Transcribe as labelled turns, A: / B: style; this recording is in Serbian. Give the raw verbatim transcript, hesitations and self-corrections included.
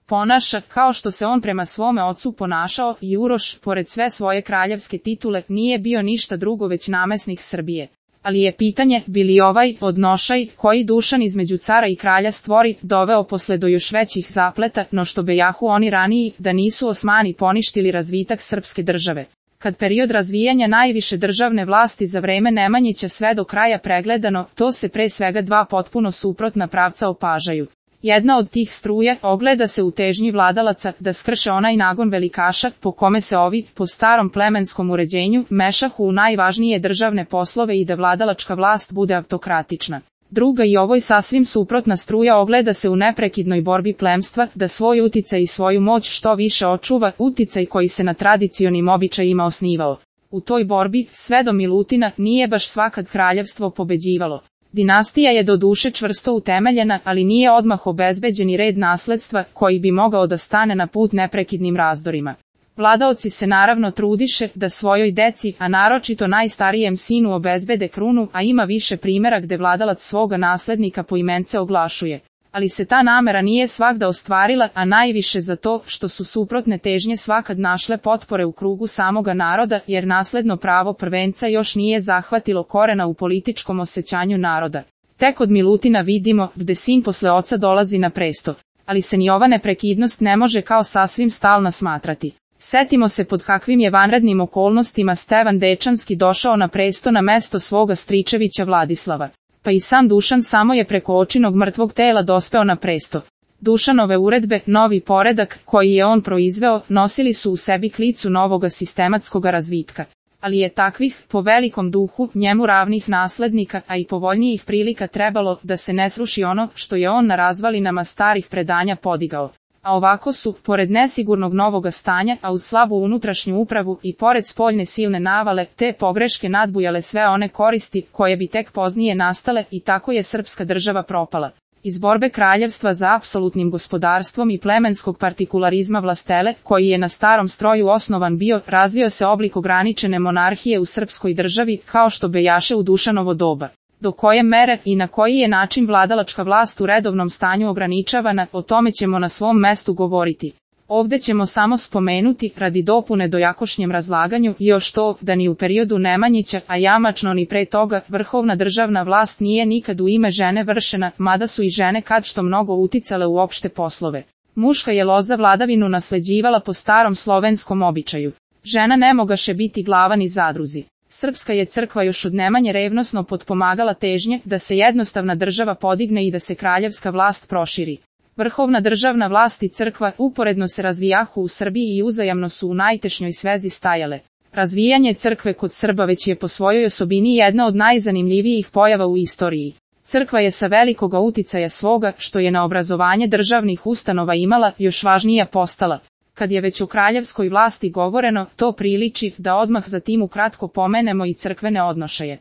A: ponaša kao što se on prema svome ocu ponašao i Uroš, pored sve svoje kraljevske titule, nije bio ništa drugo već namesnik Srbije. Ali je pitanje, bi li ovaj odnošaj, koji Dušan između cara i kralja stvori, doveo posle do još većih zapleta, no što bejahu oni raniji, da nisu Osmani poništili razvitak srpske države. Kad period razvijanja najviše državne vlasti za vreme Nemanjića sve do kraja pregledano, to se pre svega dva potpuno suprotna pravca opažaju. Jedna od tih struja ogleda se u težnji vladalaca da skrše onaj nagon velikaša po kome se ovi, po starom plemenskom uređenju, mešahu u najvažnije državne poslove i da vladalačka vlast bude autokratična. Druga i ovoj sasvim suprotna struja ogleda se u neprekidnoj borbi plemstva da svoj uticaj i svoju moć što više očuva, uticaj koji se na tradicionim običajima osnivao. U toj borbi, sve do Milutina, nije baš svakad kraljevstvo pobeđivalo. Dinastija je do duše čvrsto utemeljena, ali nije odmah obezbeđeni red nasledstva koji bi mogao da stane na put neprekidnim razdorima. Vladaoci se naravno trudiše da svojoj deci, a naročito najstarijem sinu obezbede krunu, a ima više primjera gde vladalac svoga naslednika poimence oglašuje. Ali se ta namera nije svagda ostvarila, a najviše zato što su suprotne težnje svakad našle potpore u krugu samoga naroda, jer nasledno pravo prvenca još nije zahvatilo korena u političkom osjećanju naroda. Tek od Milutina vidimo gde sin posle oca dolazi na presto, ali se ni ova neprekidnost ne može kao sasvim stalna smatrati. Setimo se pod kakvim je vanrednim okolnostima Stevan Dečanski došao na presto na mesto svoga stričevića Vladislava. Pa i sam Dušan samo je preko očinog mrtvog tela dospeo na presto. Dušanove uredbe, novi poredak, koji je on proizveo, nosili su u sebi klicu novoga sistematskoga razvitka. Ali je takvih, po velikom duhu, njemu ravnih naslednika, a i povoljnijih prilika trebalo da se ne sruši ono što je on na razvalinama starih predanja podigao. A ovako su, pored nesigurnog novoga stanja, a uz slabu unutrašnju upravu i pored spoljne silne navale, te pogreške nadbujale sve one koristi koje bi tek poznije nastale i tako je srpska država propala. Iz borbe kraljevstva za apsolutnim gospodarstvom i plemenskog partikularizma vlastele, koji je na starom stroju osnovan bio, razvio se oblik ograničene monarhije u srpskoj državi, kao što bejaše u Dušanovo doba. Do koje mere i na koji je način vladalačka vlast u redovnom stanju ograničavana, o tome ćemo na svom mestu govoriti. Ovde ćemo samo spomenuti, radi dopune dojakošnjem razlaganju, još to, da ni u periodu Nemanjića, a jamačno ni pre toga, vrhovna državna vlast nije nikad u ime žene vršena, mada su i žene kad što mnogo uticale u opšte poslove. Muška je loza vladavinu nasleđivala po starom slovenskom običaju. Žena ne mogaše biti glava ni zadruzi. Srpska je crkva još od Nemanje revnosno potpomagala težnje da se jednostavna država podigne i da se kraljevska vlast proširi. Vrhovna državna vlast i crkva uporedno se razvijahu u Srbiji i uzajamno su u najtešnjoj svezi stajale. Razvijanje crkve kod Srba već je po svojoj osobini jedna od najzanimljivijih pojava u istoriji. Crkva je sa velikoga uticaja svoga, što je na obrazovanje državnih ustanova imala, još važnija postala. Kad je već o kraljevskoj vlasti govoreno, to priliči da odmah za tim ukratko pomenemo i crkvene odnošaje.